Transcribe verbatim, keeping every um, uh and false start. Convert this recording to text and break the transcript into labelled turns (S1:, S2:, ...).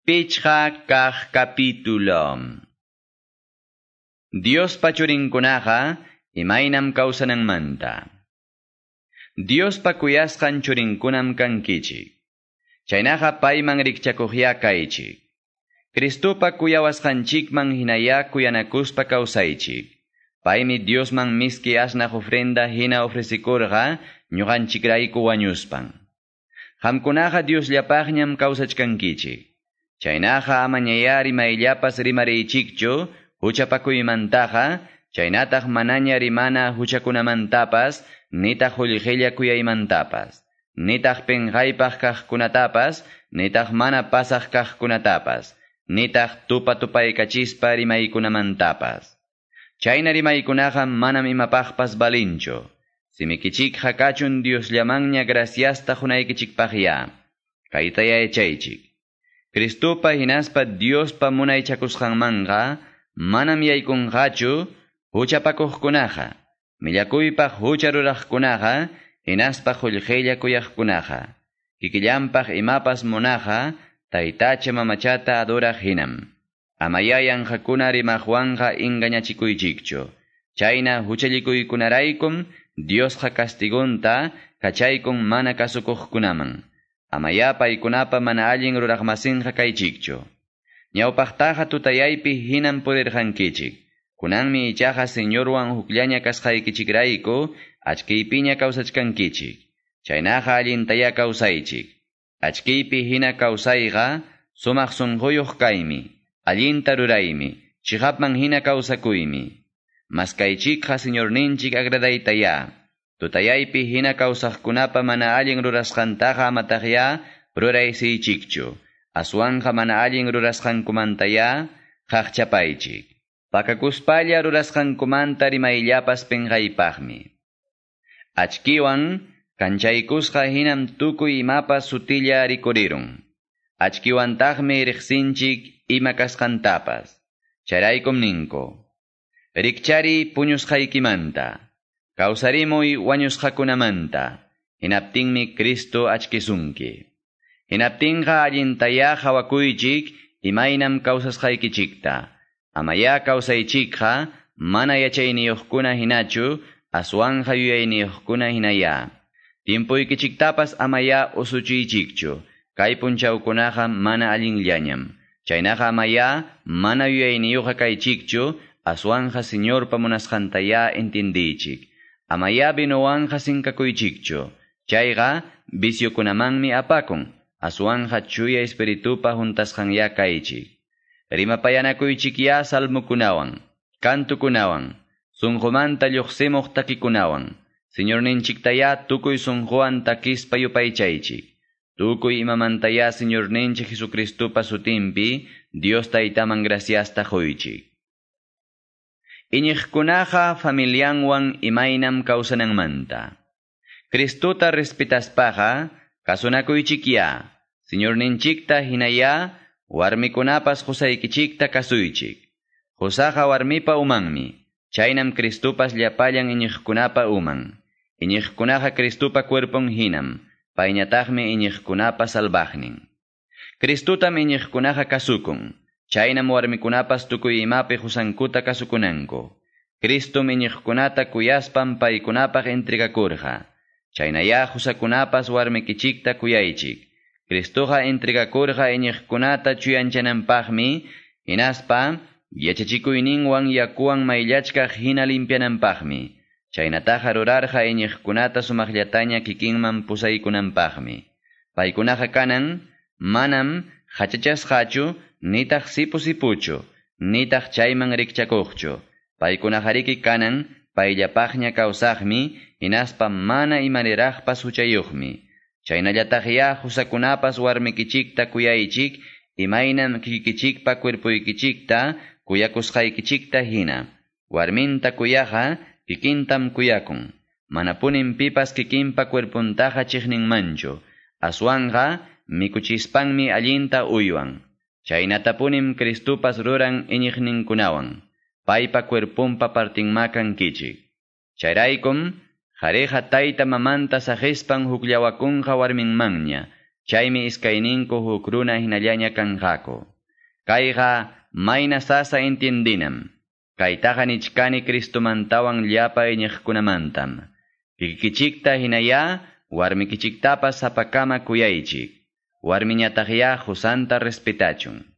S1: Pichqa kaq capítulo. Diospa churinkunaqa imaynam kawsananmanta. Diospa kuyasqan churinkunam kankichik. Chaynaqa payman rikchakuqya kaychik. Cristopa kuyawasqanchikman hinaya kuyanakuspa kawsaychik. Paymi Diosman miski asnaq ofrenda hina ofrecikurqa ñuqanchikrayku wañuspan. Qamkunaqa Diosllapaqñam kawsachkankichik. Chaynaqa amañaya rimayllapas rimariychikchu huchapakuymantaqa, chaynataq manaña rimana huchakunamantapas, nitaq qullqilla kuyaymantapas, nitaq pinqaypaq kaqkunatapas, nitaq mana pasaq kaqkunatapas, nitaq tupa tupaykachispa rimaykunamantapas. Chayna rimaykunaqa manam imapaqpas balinchu. Simikichikqa kachun Diosllamanña graciasta qunaykichikpaqya. Kaytaya yachaychik. Cristopa hinaspa Diospa munaychakusqanmanqa manam yaykunqachu huchapakuqkunaqa, millakuypaq hucha ruraqkunaqa, hinaspa qullqilla kuyaqkunaqa. Kikillanpaq imapas munaqa, taytacha mamachata adoraq hinam. Amaya yanqakuna rimaqwanqa engañachikuychikchu. Chayna huchallikuykunaraykum Diosqa castigunta kachaykun mana kasukuqkunaman. Amaya paykunapa mana allin ruraqmasinqa kaychikchu. Ñawpaqtaqa tutayaypi hinam purirqankichik. Kunanmi ichaqa Señorwan hukllaña kasqaykichikrayku achkiypiña kawsachkankichik. Chaynaqa allintaya kawsaychik. Achkiypi hina kawsayqa sumaq sunquyuq kaymi, allinta ruraymi, chiqapman hina kawsakuymi. Maskaychikqa Señorninchik agradaytaya. Tutayaypi hina kawsaqkunapa mana allin rurasqantaqa amataqya ruraysiychikchu. Aswanqa mana allin rurasqankumantaya qaqchapaychik. Pakakuspalla rurasqankumanta rimayllapas pinqaypaqmi. Achkiwan kanchaykusqa hinam tukuy imapas sutilla rikurirun. Achkiwantaqmi riqsinchik ima kasqantapas. Chayraykum ninku. Rikchari puñusqaykimanta. Kawsarimuy wañusqakunamanta. Hinaptinmi Cristo achkisunki. Hinaptinqa allintaya hawakuychik imaynam kawsasqaykichikta. Amaya kawsaychikqa mana yachayniyuqkuna hinachu aswanqa yuyayniyuqkuna hinaya. Tiempuykichiktapas amaya usuchiychikchu. Kay punchawkunaqa mana allinllañam. Chaynaqa amaya mana yuyayniyuqqa kaychikchu aswanqa Señorpa munasqantaya entendiychik. Amaya vinuwanqa sinkakuychikchu. Chayqa viciokunamanmi apakun. Aswanqa chuya espiritupa huntasqanya kaychik. Rimapayanakuychikya salmukunawan, kantukunawan, sunqumanta lluqsimuq takikunawan. Señorninchiktaya tukuy sunquwan takispa yupaychaychik. Tukuy imamantaya Señorninchik Jesucristopa sutinpi Dios taytaman graciasta quychik. Iñiqkunaqa familianwan imaynam kawsananmanta. Cristota respetaspaqa kasunakuychikya. Señorninchikta hinaya warmikunapas qusaykichikta kasuychik. Qusaqa warmipa umanmi. Chaynam Cristopas llapallan iñiqkunapa uman. Iñiqkunaqa Cristopa cuerpon hinam. Payñataqmi iñiqkunapa salvaqnin. Cristotam iñiqkunaqa kasukun. Chaynam warmikunapas tukuy imapi qusankuta kasukunanku. Cristom iñiqkunata kuyaspan paykunapaq entregakurqa. Chaynaya qusakunapas warmikichikta kuyaychik. Cristoqa entregakurqa iñiqkunata chuyanchananpaqmi, hinaspa yachachikuyninwan yakuwan mayllachkaq hina limpiananpaqmi. Chaynataqa rurarqa iñiqkunata sumaqllataña kikinman pusaykunanpaqmi. Paykunaqa kanan manam hachachasqachu nitaq sipu sipuchu, nitaq chayman rikchakuqchu. Paykunaqariki kanan payllapaqña kawsaqmi, hinaspa mana imaniraqpas huchayuqmi. Chaynallataqya qusakunapas warmikichikta kuyaychik, imaynam kikikichikpa cuerpuykichikta kuyakusqaykichikta hina. Warminta kuyaqa kikintam kuyakun. Manapunin pipas kikinpa cuerpuntaqa chiqninmanchu. Aswanqa mikuchispanmi allinta uywan. Chaynatapunim Cristopas ruran iñiqninkunawan. Paypa cuerpunpa partinma kankichik. Chayraykum, qhariqa tayta mamanta saqispan hukllawakunqa warminmanña. Chaymi iskayninku huk runa hinallaña kanqaku. Kayqa mayna sasa entiendinam. Kaytaqa nichkani Cristomantawan llapa iñiqkunamantam. Kikikichikta hinayá warmikichiktapas sapakama kuyaychik. Warmiñataqyá qusanta respetachun.